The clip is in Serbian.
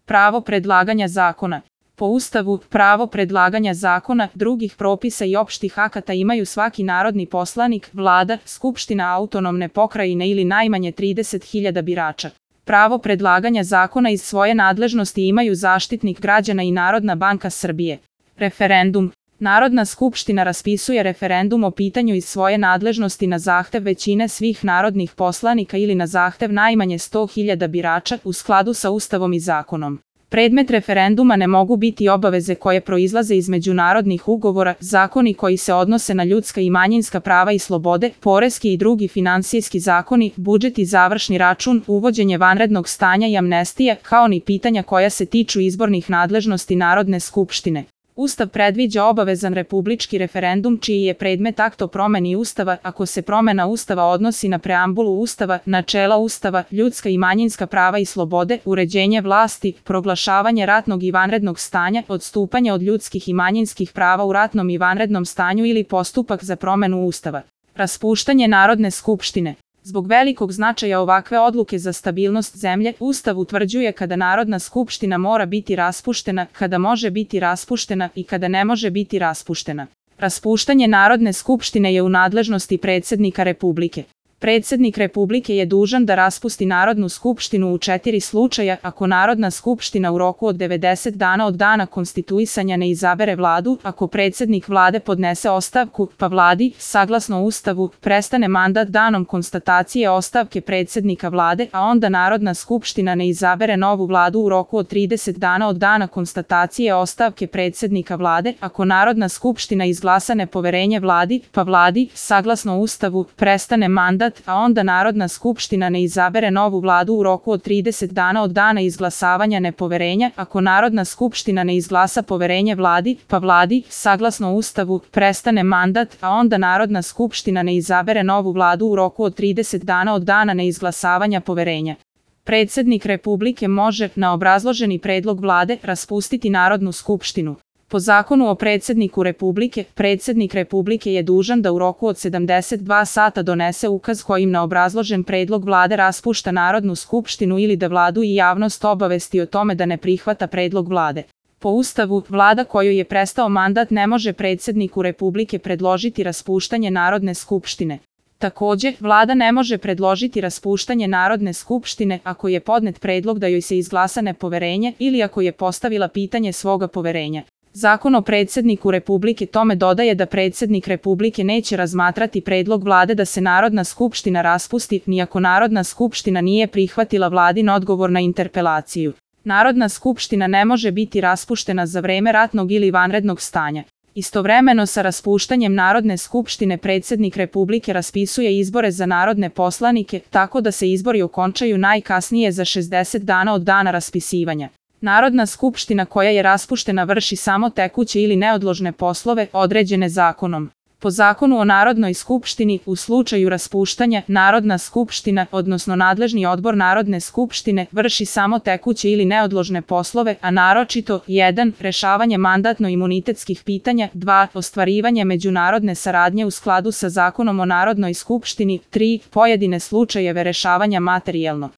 Pravo predlaganja zakona. Po Ustavu, pravo predlaganja zakona, drugih propisa i opštih akata imaju svaki narodni poslanik, vlada, skupština autonomne pokrajine ili najmanje 30.000 birača. Pravo predlaganja zakona iz svoje nadležnosti imaju Zaštitnik građana i Narodna banka Srbije. Referendum. Narodna skupština raspisuje referendum o pitanju iz svoje nadležnosti na zahtev većine svih narodnih poslanika ili na zahtev najmanje 100.000 birača u skladu sa Ustavom i zakonom. Predmet referenduma ne mogu biti obaveze koje proizlaze iz međunarodnih ugovora, zakoni koji se odnose na ljudska i manjinska prava i slobode, poreski i drugi finansijski zakoni, budžet i završni račun, uvođenje vanrednog stanja i amnestije, kao ni pitanja koja se tiču izbornih nadležnosti Narodne skupštine. Ustav predviđa obavezan republički referendum čiji je predmet akt o promeni Ustava ako se promena Ustava odnosi na preambulu Ustava, načela Ustava, ljudska i manjinska prava i slobode, uređenje vlasti, proglašavanje ratnog i vanrednog stanja, odstupanje od ljudskih i manjinskih prava u ratnom i vanrednom stanju ili postupak za promenu Ustava. Raspuštanje Narodne skupštine. Zbog velikog značaja ovakve odluke za stabilnost zemlje, Ustav utvrđuje kada Narodna skupština mora biti raspuštena, kada može biti raspuštena i kada ne može biti raspuštena. Raspuštanje Narodne skupštine je u nadležnosti predsednika Republike. Predsednik Republike je dužan da raspusti Narodnu skupštinu u 4 slučaja ako Narodna skupština u roku od 90 dana od dana konstituisanja ne izabere vladu, ako predsednik vlade podnese ostavku, pa vladi, saglasno Ustavu, prestane mandat danom konstatacije ostavke predsednika vlade, a onda Narodna skupština ne izabere novu vladu u roku od 30 dana od dana konstatacije ostavke predsednika vlade, ako Narodna skupština izglasa nepoverenje vladi, pa vladi, saglasno Ustavu, prestane mandat, a onda Narodna skupština ne izabere novu vladu u roku od 30 dana od dana izglasavanja nepoverenja, ako Narodna skupština ne izglasa poverenje vladi, pa vladi, saglasno Ustavu, prestane mandat, a onda Narodna skupština ne izabere novu vladu u roku od 30 dana od dana neizglasavanja poverenja. Predsednik Republike može, na obrazloženi predlog vlade, raspustiti Narodnu skupštinu. Po zakonu o predsedniku Republike, predsednik Republike je dužan da u roku od 72 sata donese ukaz kojim na obrazložen predlog vlade raspušta Narodnu skupštinu ili da vladu i javnost obavesti o tome da ne prihvata predlog vlade. Po Ustavu, vlada kojoj je prestao mandat ne može predsedniku Republike predložiti raspuštanje Narodne skupštine. Takođe, vlada ne može predložiti raspuštanje Narodne skupštine ako je podnet predlog da joj se izglasa nepoverenje ili ako je postavila pitanje svoga poverenja. Zakon o predsedniku Republike tome dodaje da predsednik Republike neće razmatrati predlog vlade da se Narodna skupština raspusti, ni ako Narodna skupština nije prihvatila vladin odgovor na interpelaciju. Narodna skupština ne može biti raspuštena za vreme ratnog ili vanrednog stanja. Istovremeno sa raspuštanjem Narodne skupštine predsednik Republike raspisuje izbore za narodne poslanike, tako da se izbori okončaju najkasnije za 60 dana od dana raspisivanja. Narodna skupština koja je raspuštena vrši samo tekuće ili neodložne poslove određene zakonom. Po zakonu o Narodnoj skupštini, u slučaju raspuštanja, Narodna skupština, odnosno nadležni odbor Narodne skupštine, vrši samo tekuće ili neodložne poslove, a naročito 1. Rešavanje mandatno-imunitetskih pitanja, 2. Ostvarivanje međunarodne saradnje u skladu sa zakonom o Narodnoj skupštini, 3. Pojedine slučajeve rešavanja materijalno.